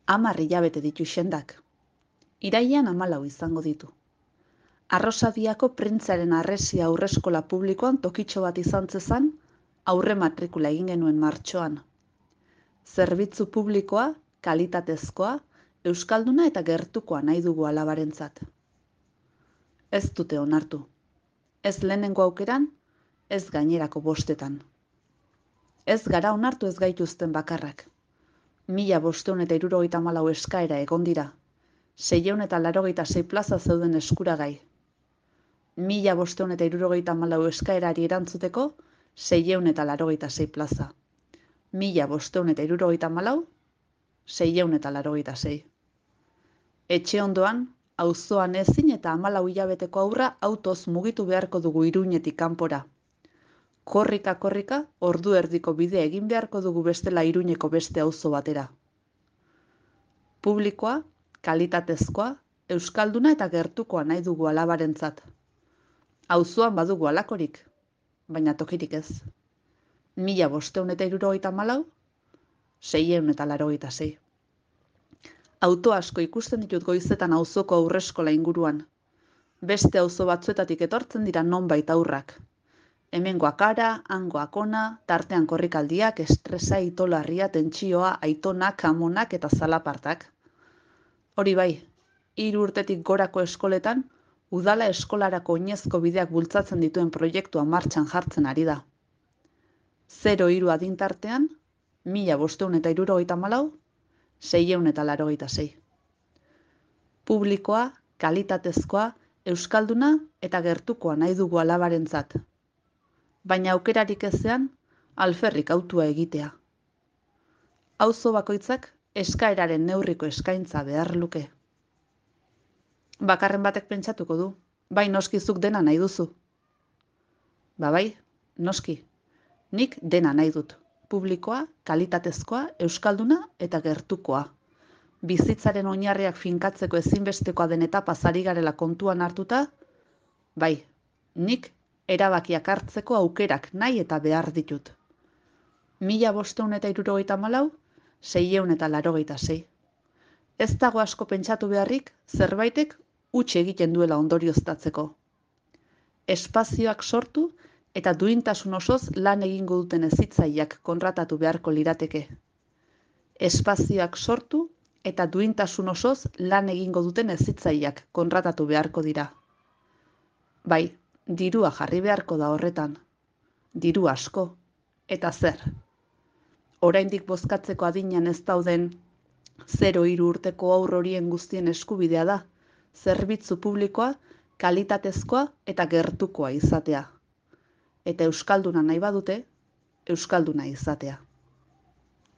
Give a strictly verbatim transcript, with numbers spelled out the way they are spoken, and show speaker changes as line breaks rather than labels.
Hamar hilabete ditu xendak. Irailean hamalau izango ditu. Arrosadiako printzaren arresia aurreskola publikoan tokitxo bat izan zezan, aurre matrikula egin genuen martxoan. Zerbitzu publikoa, kalitatezkoa, euskalduna eta gertukoa nahi dugu alabarentzat. Ez dute onartu. Ez lehenengo aukeran, ez gainerako bostetan. Ez gara onartu ez gaituzten bakarrak. Mila bosteun eta hirurogeita hamalau eskaera egon dira. Seiehun eta laurogeita sei plaza zeuden eskuragai. Mila bosteun eta hirurogeita hamalau eskaerari erantzuteko, seiehun eta laurogeita sei plaza. Mila bosteun eta hirurogeita hamalau, seiehun eta laurogeita sei. Etxe ondoan, auzoan ezin eta hamalau hilabeteko aurra autoz mugitu beharko dugu Iruñetik kanpora. Korrika-korrika, ordu erdiko bidea egin beharko dugu bestela Iruñeko beste auzo batera. Publikoa, kalitatezkoa, euskalduna eta gertukoa nahi dugu alabarentzat. Auzoan badugu alakorik, baina tokirik ez. Mila bosteun eta hirurogeita hamalau, seiehun eta laurogeita sei. Auto asko ikusten ditut goizetan auzoko aurreskola inguruan. Beste auzo batzuetatik etortzen dira nonbait aurrak. Hemengoak ara, hangoak ona, tartean korrikaldiak, estresa, itolarria, tentsioa, aitonak, amonak eta zalapartak. Hori bai, hiru urtetik gorako eskoletan, udala eskolarako oinezko bideak bultzatzen dituen proiektua martxan jartzen ari da. Zero hiru adintartean, mila bosteun eta hirurogeita hamalau, seiehun eta laurogeita sei. Publikoa, kalitatezkoa, euskalduna eta gertukoa nahi dugu alabarentzat. Baina aukerarik ezean, alferrik autua egitea. Auzo bakoitzak eskaeraren neurriko eskaintza behar luke. Bakarren batek pentsatuko du, bai noskizuk dena nahi duzu. Ba bai, noski, nik dena nahi dut. Publikoa, kalitatezkoa, euskalduna eta gertukoa. Bizitzaren oinarriak finkatzeko ezinbestekoa den etapa ari garela kontuan hartuta, bai, nik erabakiak hartzeko aukerak nahi eta behar ditut. Mila bosteun eta hirurogeita hamalau, seiehun eta laurogeita sei. Ez dago asko pentsatu beharrik, zerbaitek huts egiten duela ondorioztatzeko. Espazioak sortu eta duintasun osoz lan egingo duten hezitzaileak kontratatu beharko lirateke. Espazioak sortu eta duintasun osoz lan egingo duten hezitzaileak kontratatu beharko dira. Bai, dirua jarri beharko da horretan. Diru asko. Eta zer? Oraindik bozkatzeko adinean ez dauden zero hiru urteko haur horien guztien eskubidea da, zerbitzu publikoa, kalitatezkoa eta gertukoa izatea. Eta euskalduna nahi badute, euskalduna izatea.